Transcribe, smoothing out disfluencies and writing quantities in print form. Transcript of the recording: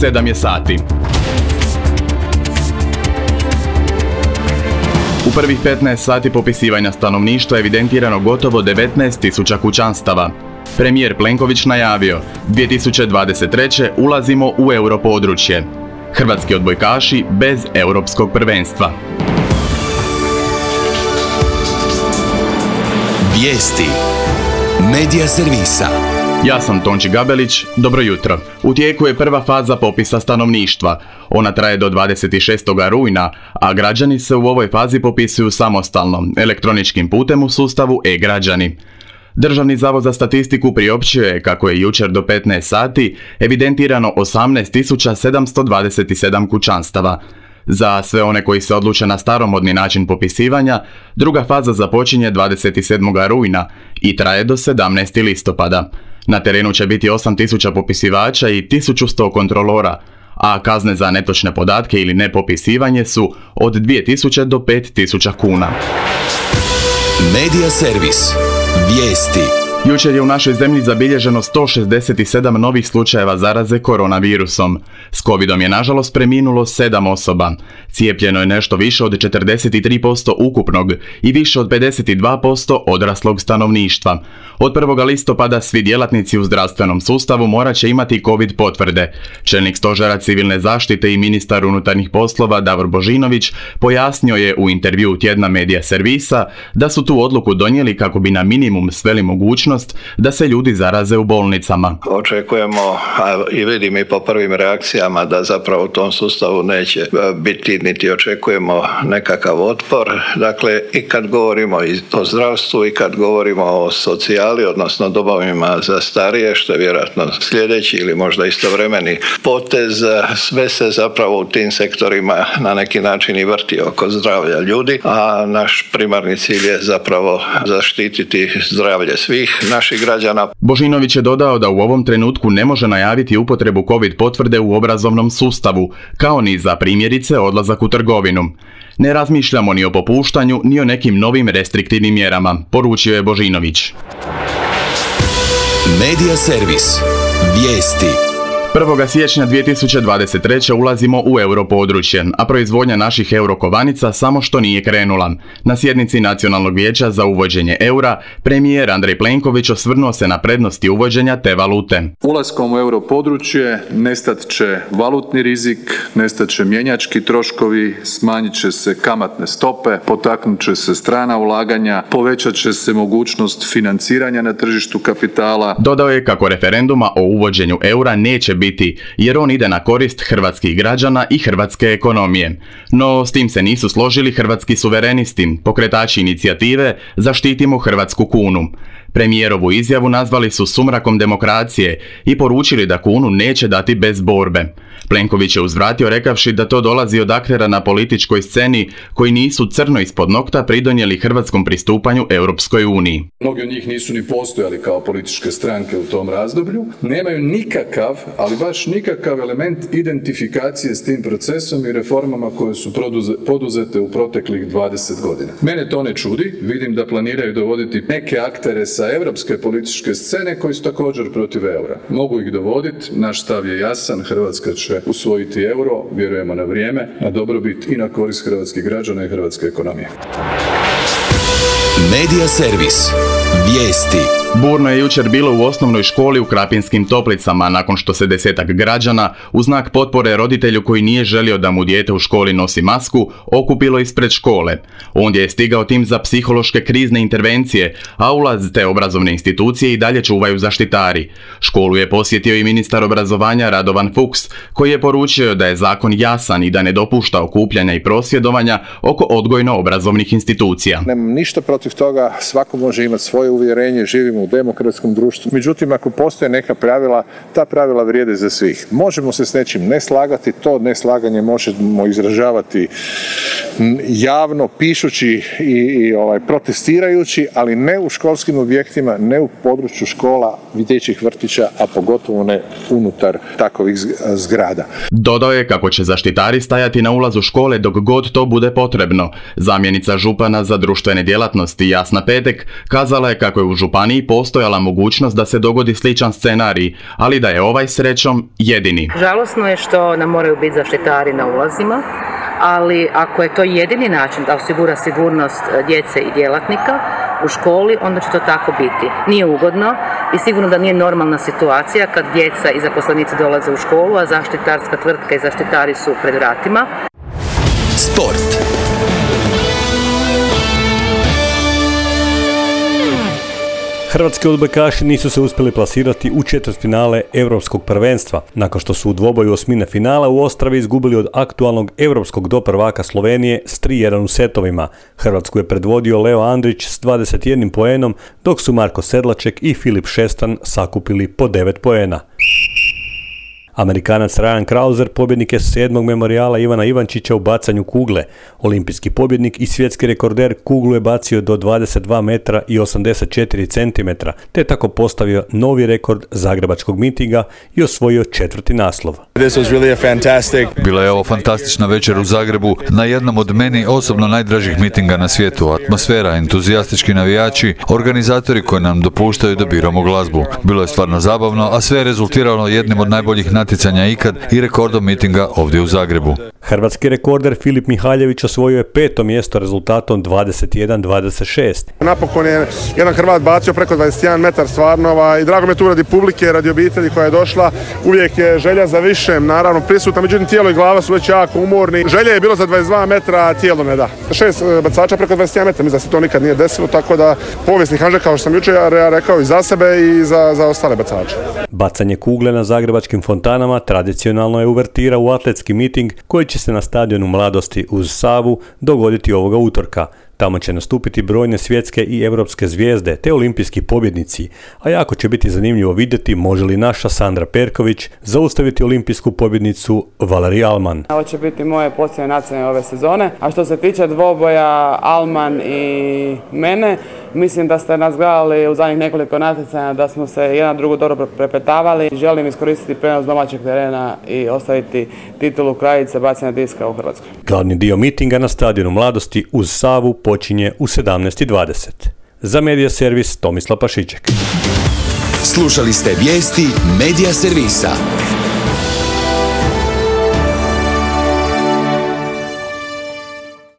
7 je sati. U prvih 15 sati popisivanja stanovništva evidentirano gotovo 19.000 kućanstava. Premijer Plenković najavio, 2023. ulazimo u europodručje. Hrvatski odbojkaši bez europskog prvenstva. Vijesti Medija servisa. Ja sam Tonči Gabelić, dobro jutro. U tijeku je prva faza popisa stanovništva. Ona traje do 26. rujna, a građani se u ovoj fazi popisuju samostalno, elektroničkim putem u sustavu e-građani. Državni zavod za statistiku priopćio je kako je jučer do 15 sati evidentirano 18.727 kućanstava. Za sve one koji se odluče na staromodni način popisivanja, druga faza započinje 27. rujna i traje do 17. listopada. Na terenu će biti 8.000 popisivača i 1.100 kontrolora, a kazne za netočne podatke ili nepopisivanje su od 2.000 do 5.000 kuna. Medija servis. Vijesti. Jučer je u našoj zemlji zabilježeno 167 novih slučajeva zaraze koronavirusom. S covidom je nažalost preminulo 7 osoba. Cijepljeno je nešto više od 43% ukupnog i više od 52% odraslog stanovništva. Od 1. listopada svi djelatnici u zdravstvenom sustavu morat će imati covid potvrde. Čelnik stožera civilne zaštite i ministar unutarnjih poslova Davor Božinović pojasnio je u intervjuu tjedna Medija servisa da su tu odluku donijeli kako bi na minimum sveli mogućnost da se ljudi zaraze u bolnicama. Očekujemo, a i vidim i po prvim reakcijama, da zapravo u tom sustavu neće biti niti očekujemo nekakav otpor. Dakle, i kad govorimo o zdravstvu i kad govorimo o socijali, odnosno domovima za starije, što je vjerojatno sljedeći ili možda istovremeni potez, sve se zapravo u tim sektorima na neki način i vrti oko zdravlja ljudi, a naš primarni cilj je zapravo zaštititi zdravlje svih naših građana. Božinović je dodao da u ovom trenutku ne može najaviti upotrebu covid potvrde u obrazovnom sustavu, kao ni za primjerice odlazak u trgovinu. Ne razmišljamo ni o popuštanju, ni o nekim novim restriktivnim mjerama, poručio je Božinović. Medija servis. Vijesti. 1. siječnja 2023. ulazimo u europodručje, a proizvodnja naših eurokovanica samo što nije krenula. Na sjednici Nacionalnog vijeća za uvođenje eura, premijer Andrej Plenković osvrnuo se na prednosti uvođenja te valute. Ulaskom u europodručje nestat će valutni rizik, nestat će mjenjački troškovi, smanjit će se kamatne stope, potaknut će se strana ulaganja, povećat će se mogućnost financiranja na tržištu kapitala. Dodao je kako referenduma o uvođenju eura neće biti, jer on ide na korist hrvatskih građana i hrvatske ekonomije. No, s tim se nisu složili hrvatski suverenisti, pokretači inicijative Zaštitimo hrvatsku kunu. Premijerovu izjavu nazvali su sumrakom demokracije i poručili da kunu neće dati bez borbe. Plenković je uzvratio rekavši da to dolazi od aktera na političkoj sceni koji nisu crno ispod nokta pridonijeli hrvatskom pristupanju Europskoj uniji. Mnogi od njih nisu ni postojali kao političke stranke u tom razdoblju. Nemaju nikakav, ali baš nikakav element identifikacije s tim procesom i reformama koje su poduzete u proteklih 20 godina. Mene to ne čudi, vidim da planiraju dovoditi neke aktere sa europske političke scene koji su također protiv eura. Mogu ih dovoditi, naš stav je jasan, Hrvatska će usvojiti euro, vjerujemo na vrijeme, na dobrobit i na korist hrvatskih građana i hrvatske ekonomije. Medija servis. Vijesti. Burno je jučer bilo u osnovnoj školi u Krapinskim Toplicama nakon što se 10-ak građana u znak potpore roditelju koji nije želio da mu dijete u školi nosi masku okupilo ispred škole. Ondje je stigao tim za psihološke krizne intervencije, a ulaz te obrazovne institucije i dalje čuvaju zaštitari. Školu je posjetio i ministar obrazovanja Radovan Fuchs, koji je poručio da je zakon jasan i da ne dopušta okupljanja i prosvjedovanja oko odgojno-obrazovnih institucija. Nemam ništa protiv toga, svako može imati svoje uvjerenje, živimo u demokratskom društvu. Međutim, ako postoje neka pravila, ta pravila vrijede za svih. Možemo se s nečim ne slagati, to neslaganje možemo izražavati javno, pišući i protestirajući, ali ne u školskim objektima, ne u području škola, dječjih vrtića, a pogotovo ne unutar takovih zgrada. Dodao je kako će zaštitari stajati na ulazu škole dok god to bude potrebno. Zamjenica župana za društvene djelatnosti Jasna Petek kazala je kako je u županiji postojala mogućnost da se dogodi sličan scenarij, ali da je ovaj srećom jedini. Žalosno je što nam moraju biti zaštitari na ulazima, ali ako je to jedini način da osigura sigurnost djece i djelatnika u školi, onda će to tako biti. Nije ugodno i sigurno da nije normalna situacija kad djeca i zaposlenici dolaze u školu, a zaštitarska tvrtka i zaštitari su pred vratima. Sport. Hrvatski odbojkaši nisu se uspjeli plasirati u četvrtfinale Europskog prvenstva, nakon što su u dvoboju osmine finala u Ostravi izgubili od aktualnog europskog doprvaka Slovenije s 3-1 u setovima. Hrvatsku je predvodio Leo Andrić s 21 poenom, dok su Marko Sedlaček i Filip Šestan sakupili po 9 poena. Amerikanac Ryan Krauser pobjednik je 7. memorijala Ivana Ivančića u bacanju kugle. Olimpijski pobjednik i svjetski rekorder kuglu je bacio do 22 metra i 84 cm, te tako postavio novi rekord zagrebačkog mitinga i osvojio 4. naslov. Bila je ovo fantastična večer u Zagrebu, na jednom od meni osobno najdražih mitinga na svijetu. Atmosfera, entuzijastički navijači, organizatori koji nam dopuštaju da biramo glazbu. Bilo je stvarno zabavno, a sve je rezultiralo jednim od najboljih natjecanja ikad i rekordom mitinga ovdje u Zagrebu. Hrvatski rekorder Filip Mihaljević osvojio je 5. mjesto rezultatom 21-26. Napokon je jedan Hrvat bacio preko 21 metar stvarno i drago mi je tu radi publike, radi obitelji koja je došla. Uvijek je želja za višem, naravno prisutna, međutim tijelo i glava su već jako umorni. Želja je bilo za 22 metra, a tijelo ne da. 6 bacača preko 21 metra, mislim da se to nikad nije desilo, tako da povijesni hanža, kao što sam jučer rekao, i za sebe i za ostale bacače. Bacanje kugle na zagrebačkim fontanama tradicionalno je uvertira u atletski miting koji će se na stadionu Mladosti uz Savu dogoditi ovoga utorka. Tamo će nastupiti brojne svjetske i europske zvijezde te olimpijski pobjednici, a jako će biti zanimljivo vidjeti može li naša Sandra Perković zaustaviti olimpijsku pobjednicu Valerij Alman. Ovo će biti moje posljednje natjecanje ove sezone, a što se tiče dvoboja Alman i mene, mislim da ste nas gledali u zadnjih nekoliko natjecanja, da smo se jedan drugu dobro prepetavali. Želim iskoristiti prenos domaćeg terena i ostaviti titulu kraljice bacanja diska u Hrvatskoj. Glavni dio mitinga na stadionu Mladosti uz Savu počinje u 17:20. Za Medija servis Tomislav Pašiček. Slušali ste vijesti Medija servisa.